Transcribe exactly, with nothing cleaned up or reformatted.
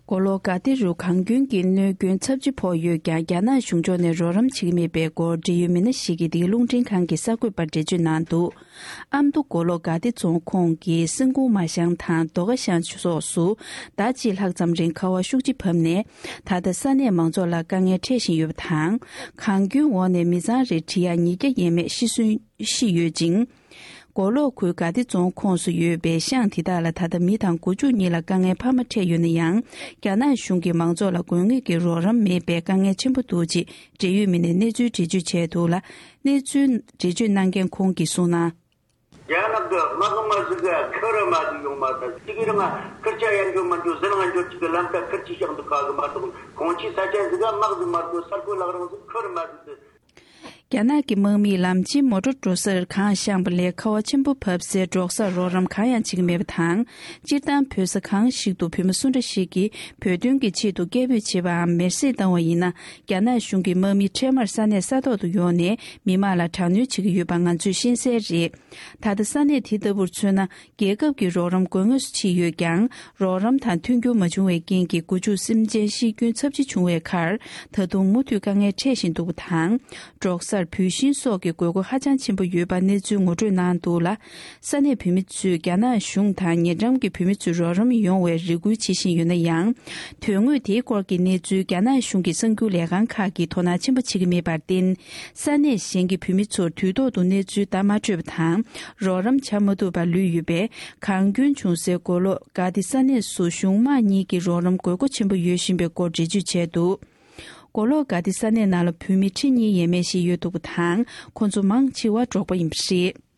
མགོ་ལོག་དགའ་བདེ་རུ་གངས་སྐྱོན་གྱི་གནོད་སྐྱོན་ཚབས་ཆེ་ཕོག་ཡོད་ཀྱང་། རྒྱ་ནག་གཞུང་ཕྱོགས་ནས་རོགས་རམ་བྱེད་ཀྱི་མེད་པའི་སྐོར་འབྲེལ་ཡོད་མི་སྣ་ཞིག་གིས་འདིའི་རླུང་འཕྲིན་ཁང་གི་གསར་འགོད་པར་འགྲེལ་བརྗོད་གནང་འདུག། ཨ་མདོ་མགོ་ལོག་དགའ་བདེ་རྫོང་ཁོངས་ཀྱི་སེང་གུང་མ་ཤང་དང་རྡོ་ཁ་ཤང་སོགས་སུ་ཟླ་གཅིག་ལྷག་ཙམ་རིང་ཁ་བ་ཤུགས་ཆེ་བབས་ནས། ད་ལྟ་ས་གནས་མང་ཚོགས་ལ་དཀའ་ངལ་འཕྲད་བཞིན་ཡོད་པ་དང་། གངས་སྐྱོན་འོག་ནས་མི་ཚང་རེར་འབྲི་གཡག་ཉིས་བརྒྱ་ཡས་མས་ཤི་གསོན་ཤི་ཡོད་ཅིང་། མགོ་ལོག་ཁུལ་དགའ་བདེ་རྫོང་ཁོངས་སུ་ཡོད་པའི་ཤང་དེ་དག་ལ་ད་ལྟ་མི་དང་སྒོ་ཕྱུགས་གཉིས་ལ་དཀའ་ངལ་འཕར་མ་འཕྲད་ཡོད་ན་ཡང་། རྒྱ་ནག་གཞུང་གིས་མང་ཚོགས་ལ་དགོས་ངེས་ཀྱི་རོགས་རམ་མེད་པའི་དཀའ་ངལ་ཆེན་པོ་འདུག་ཅེས་འབྲེལ་ཡོད་མི་སྣས་གནས་ཚུལ་འགྲེལ་བརྗོད་བྱས་འདུག་ལ། གནས་ཚུལ་འགྲེལ་བརྗོད་གནང་མཁན་ཁོང་གིས་གསུངས་ན། རྒྱ་ནག་གི་དམག་དམག་ཟིག་ག་ཁུར་མ་ཟིག་ཡོང་མ་ཐལ། གཅིག་གིས་རང་ཁུར་ཆ་ཡང་འཇོག་མ་འཇོག་ཟི་ལིང་འཇོག་གཅིག་གི་ལམ་ཁ་ཁུར་ཆ་བཞག་འདུག་ག་གི་མ་གཏོགས། གོང་ཆེ་ས་ཆ་ཟིག་ག་དམག་ཟིག་མ་གཏོགས། ས་ཁུལ་ལག་རང་ཟིག་ཁུར་མ་ཟིག་ཟེར། རྒྱ་ནག་གི་དམག་མིས་ལམ་ཆེན་མོ་ཊ་འགྲོ་སར་གངས་བཤངས་པ་ལས་ཁ་བ་ཆེན་པོ་བབས་སའི་འབྲོག་སར་རོགས་རམ་གང་ཡང་བྱེད་ཀྱི་མེད་པ་དང་། སྤྱིར་བཏང་བོད་ས་གང་ཞིག་ཏུ་བོད་མི་སུ་འདྲ་ཞིག་གིས་བོད་དོན་གྱི་ཆེད་དུ་སྐད་འབོད་བྱེད་པའམ་མེར་སྲེག་བཏང་བ་ཡིན་ན། རྒྱ་ནག་གཞུང་གི་དམག་མི་འཕྲལ་མར་ས་གནས་ས་ཐོག་ཏུ་ཡོང་ནས་མི་མང་ལ་དྲག་གནོན་བྱེད་ཀྱི་ཡོད་པ་ང་ཚོས་ཤེས་གསལ་རེད། ད་ལྟ་ས་གནས་དེ་ལྟ་བུར་མཚོན་ན། རྒྱལ་ཁབ་ཀྱི་རོགས་རམ་དགོས་ངེས་སུ་ཕྱིན་ཡོད་ཀྱང་། རོགས་རམ་དང་མཐུན་འགྱུར་མ་བྱུང་བའི་རྐྱེན་གྱིས་སྒོ་ཕྱུགས་སེམས་ཅན་ཤི་སྐྱོན་ཚབས་ཆེ་བྱུང་བའི་ཁར། ད་དུང་མུ་མཐུད་དཀའ་ངལ་འཕྲད་བཞིན་འདུག་པ་དང་། འབྲོག་སར་བུད་ཤིང་སོགས་ཀྱི་དགོས་མཁོ་ཧ་ཅང་ཆེན་པོ་ཡོད་པ་གནས་ཚུལ་ངོ་སྤྲོད་གནང་འདུག་ལ། ས་གནས་བོད་མི་ཚོས་རྒྱ་ནག་གཞུང་དང་ཉེ་འགྲམ་གྱི་བོད་མི་ཚོས་རོགས་རམ་ཡོང་བའི་རེ་སྐུལ་བྱེད་བཞིན་ཡོད་ན་ཡང་། དོན་དངོས་དེའི་སྐོར་གྱི་གནས་ཚུལ་རྒྱ་ནག་གཞུང་གི་གསར་འགྱུར་ལས་ཁང་ཁག་གིས་དོ་སྣང་ཆེན་པོ་བྱེད་ཀྱི་མེད་པར་བརྟེན། ས་གནས་གཞན་གྱི་བོད་མི་ཚོར་དུས་ཐོག་ཏུ་གནས་ཚུལ་བརྡ་མ་སྤྲོད་པ་དང་། རོགས་རམ་བྱ་མ་ཐུབ་པར་ལུས་ཡོད་པས། གངས་སྐྱོན་བྱུང་སའི་མགོ་ལོག་དགའ་བདེ་ས་གནས་སུ་གཞུང་དམངས་གཉིས་ཀྱི་རོགས་རམ་དགོས་མཁོ་ཆེན་པོ་ཡོད་བཞིན་པའི་སྐོར་འགྲེལ་བརྗོད་བྱས་འདུག། མགོ་ལོག་དགའ་བདེ་ས་གནས་ནང་ལ་བོད་མི་ཁྲི་གཉིས་ཡས་མས་ཤིག་ཡོད་འདུག་པ་དང་། ཁོ་ཚོ་མང་ཆེ་བ་འབྲོག་པ་ཡིན་པ་རེད།